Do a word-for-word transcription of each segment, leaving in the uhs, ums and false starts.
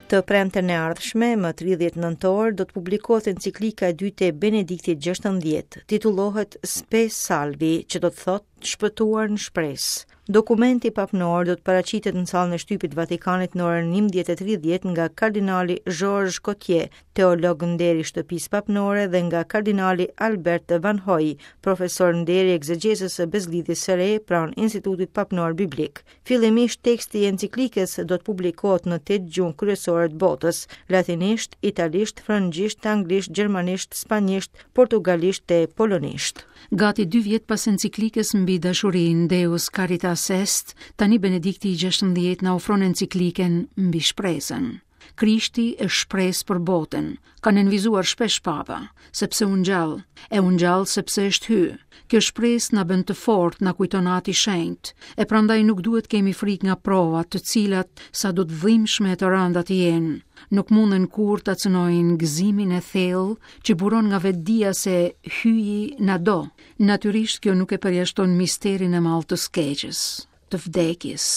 Të premten e ardhshme, më tridhjetë nëntor, do të publikohet enciklika e dytë e Benediktit gjashtëmbëdhjetë. Titullohet Spe Salvi, që do të thotë shpëtuar në shpresë. Dokumenti papnor do të paraqitet në sallën e shtypit Vatikanit në orën njëmbëdhjetë e tridhjetë nga kardinali Georges Cottier, teolog nderi i shtëpisë papnore, dhe nga kardinali Albert Van Hoy, profesor nderi egzegjezës së Bezlidhjes së Re pranë Institutit Papnor Biblik. Fillimisht teksti i enciklikës do të publikohet në tetë gjuhë kryesore të botës: latinisht, italisht, frëngjisht, anglisht, gjermanisht, spanjisht, portugalisht e polonisht. Gati dy vjet pas enciklikës mbi dashurinë Deus Caritas Est, tani Benedikti i gjashtëmbëdhjetë na ofron enciklikën mbi shpresën. Krishti është shpresë për botën, ka nënvizuar shpesh Papa, sepse u ngjall, e u ngjall sepse është hy. Kjo shpresë na bën të fortë, na kujton Ati Shenjt, e prandaj nuk duhet kemi frikë nga provat, të cilat sa do të dhimbshme e të rënda të jenë, nuk munden kurrë ta cënojnë gëzimin e thellë që buron nga vetëdija se hyji na do. Natyrisht kjo nuk e përjashton misterin e madh të skeqës, të vdekjes.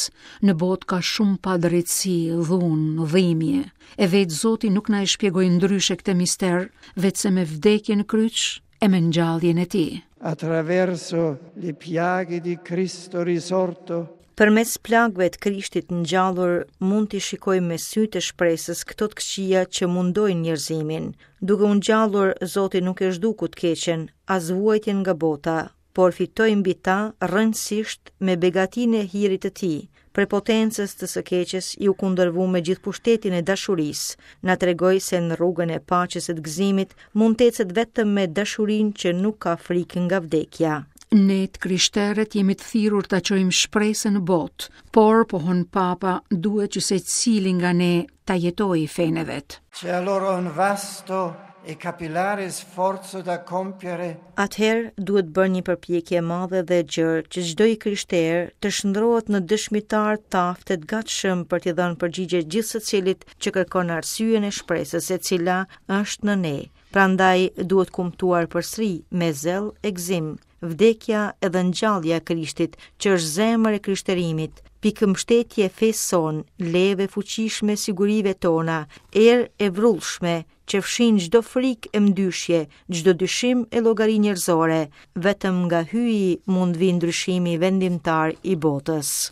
Në botë ka shumë padrejtësi, dhunë, dhimbje. E vetë Zoti nuk na e shpjegoi ndryshe këtë mister, veçse me vdekjen në kryq e me ngjalljen e tij. Attraverso le piaghe di Cristo risorto, Përmes plagëve të Krishtit ngjallur mund t'i shikojmë me sytë e shpresës këto të këqija që mundojnë njerëzimin. Duke u ngjallur, Zoti nuk e zhduku të keqen, as vuajtjen nga bota, por fitoi mbi ta rëndësisht me begatinë e hirit të tij. Prepotencës të së keqes iu kundërvu me gjithë pushtetin e dashurisë. Na tregoi se në rrugën e paqes e të gëzimit mund të ecet vetëm me dashurinë që nuk ka frikë nga vdekja. Ne të krishterët jemi të thirrur ta çojmë shpresën në botë, por, pohon Papa, duhet që secili nga ne ta jetojë fenë e vet. C'è allora un vasto e capillare sforzo da compiere. Atëherë duhet bërë një përpjekje e madhe dhe e gjerë që çdo i krishterë të shndrohet në dëshmitar të aftë të gatshëm për t'i dhënë përgjigje gjithë secilit që kërkon arsyen e shpresës e cila është në ne. Prandaj duhet kumtuar përsëri me zell e gëzim vdekja edhe ngjallja e Krishtit, që është zemër e krishterimit, pikëmbështetje e fesë sonë, leve fuqishme sigurive tona, erë e vrullshme që fshin çdo frikë e mdyshje, çdo dyshim e llogari njerëzore, vetëm nga hyji mund vi ndryshimi vendimtar i botës.